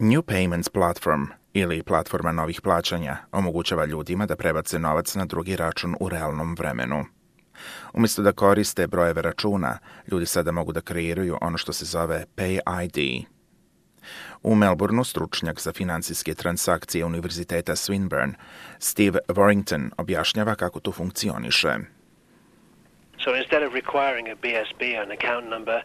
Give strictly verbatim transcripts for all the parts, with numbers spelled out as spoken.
New Payments Platform ili platforma novih plaćanja omogućava ljudima da prebace novac na drugi račun u realnom vremenu. Umjesto da koriste brojeve računa, ljudi sada mogu da kreiraju ono što se zove Pay I D. U Melbourneu stručnjak za financijske transakcije Univerziteta Swinburne, Steve Warrington, objašnjava kako to funkcioniše. So instead of requiring a B S B, an account number,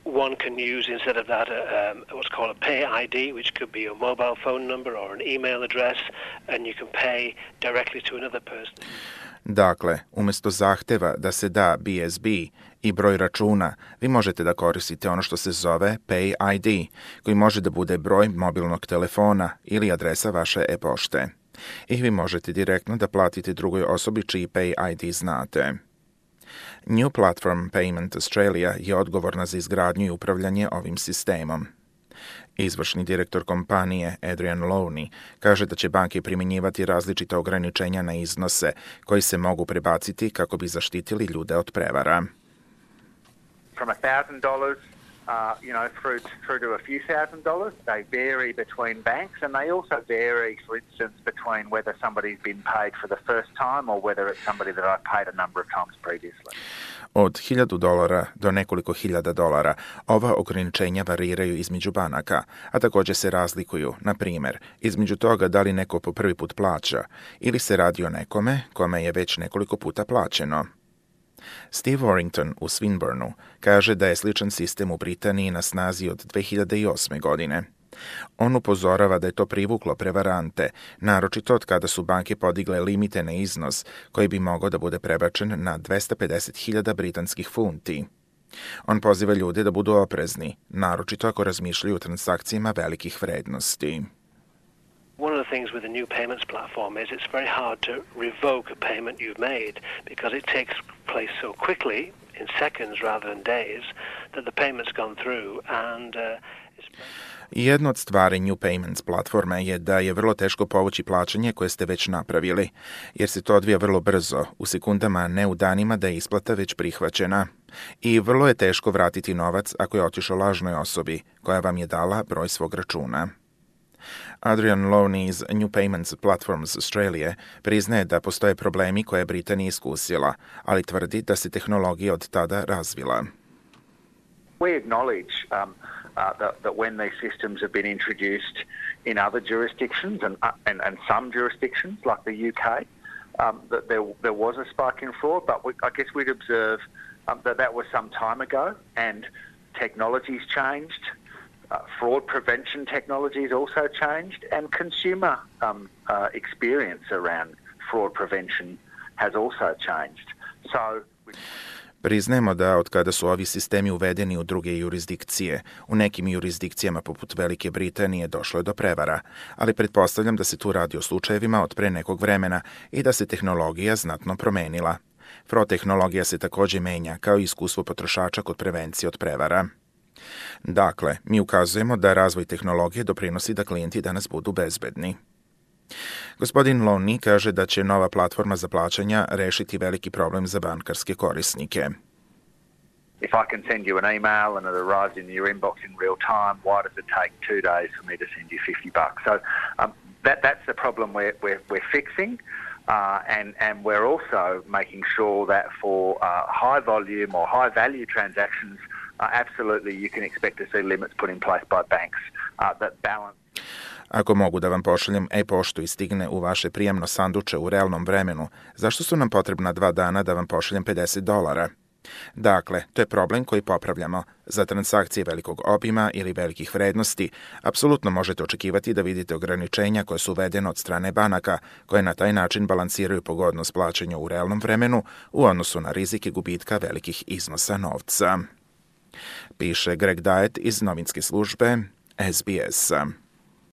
one can use instead of that a, um, what's called a Pay I D, which could be your mobile phone number or an email address, and you can pay directly to another person. Dakle, umjesto zahteva da se da B S B i broj računa, vi možete da koristite ono što se zove Pay I D, koji može da bude broj mobilnog telefona ili adresa vaše e-pošte. I vi možete direktno da platite drugoj osobi čiji Pay I D znate. New Platform Payment Australia je odgovorna za izgradnju i upravljanje ovim sistemom. Izvršni direktor kompanije Adrian Lowney kaže da će banke primjenjivati različita ograničenja na iznose koji se mogu prebaciti kako bi zaštitili ljude od prevara. From one thousand dollars uh, you know, through, through to a few thousand dollars. They vary between banks, and they also vary, for instance, between whether somebody's been paid for the first time or whether it's somebody that I've paid a number of times previously. Od hiljadu dolara do nekoliko hiljada dolara ova ograničenja variraju između banaka, a također se razlikuju, na primjer, između toga da li neko po prvi put plaća ili se radi o nekome kome je već nekoliko puta plaćeno. Steve Warrington u Swinburnu kaže da je sličan sistem u Britaniji na snazi od dve hiljade osme. godine. On upozorava da je to privuklo prevarante, naročito od kada su banke podigle limite na iznos koji bi mogao da bude prebačen na dvesta pedeset hiljada britanskih funti. On poziva ljude da budu oprezni, naročito ako razmišljaju o transakcijama velikih vrednosti. One of the things with the new payments platform is it's very hard to revoke a payment you've made because it takes place so quickly, in seconds rather than days, that the payment's gone through and uh, it's... Jedna od stvari New Payments platforme je da je vrlo teško povući plaćanje koje ste već napravili, jer se to odvija vrlo brzo, u sekundama, ne u danima da je isplata već prihvaćena. I vrlo je teško vratiti novac ako je otišao lažnoj osobi koja vam je dala broj svog računa. Adrian Lowney iz New Payments Platforms Australia priznaje da postoje problemi koje je Britanija iskusila, ali tvrdi da se tehnologija od tada razvila. We acknowledge um, uh, that, that when these systems have been introduced in other jurisdictions and, uh, and, and some jurisdictions like the U K, um, that there, there was a spike in fraud, but we, I guess we'd observe um, that that was some time ago and technology's changed. Uh, fraud prevention technology has also changed, and consumer um, uh, experience around fraud prevention has also changed. So, we... Priznajemo da od kada su ovi sistemi uvedeni u druge jurisdikcije, u nekim jurisdikcijama poput Velike Britanije došlo je do prevara, ali pretpostavljam da se tu radi o slučajevima od pre nekog vremena i da se tehnologija znatno promenila. Fraud tehnologija se također menja, kao i iskustvo potrošača kod prevencije od prevara. Dakle, mi ukazujemo da razvoj tehnologije doprinosi da klijenti danas budu bezbedni. Gospodin Lowney kaže da će nova platforma za plaćanja rešiti veliki problem za bankarske korisnike. If I can send you an email and it arrives in your inbox in real time, why does it take two days for me to send you fifty bucks? So um, that, that's the problem we're, we're, we're fixing. Uh, and, and we're also making sure that for uh, high volume or high value transactions, uh, absolutely you can expect to see limits put in place by banks uh, that balance. Ako mogu da vam pošaljem e-poštu i stigne u vaše prijemno sanduče u realnom vremenu, zašto su nam potrebna dva dana da vam pošaljem pedeset dolara? Dakle, to je problem koji popravljamo. Za transakcije velikog obima ili velikih vrednosti, apsolutno možete očekivati da vidite ograničenja koje su uvedene od strane banaka, koje na taj način balansiraju pogodnost plaćanja u realnom vremenu u odnosu na rizike gubitka velikih iznosa novca. Piše Greg Diet iz novinske službe S B S.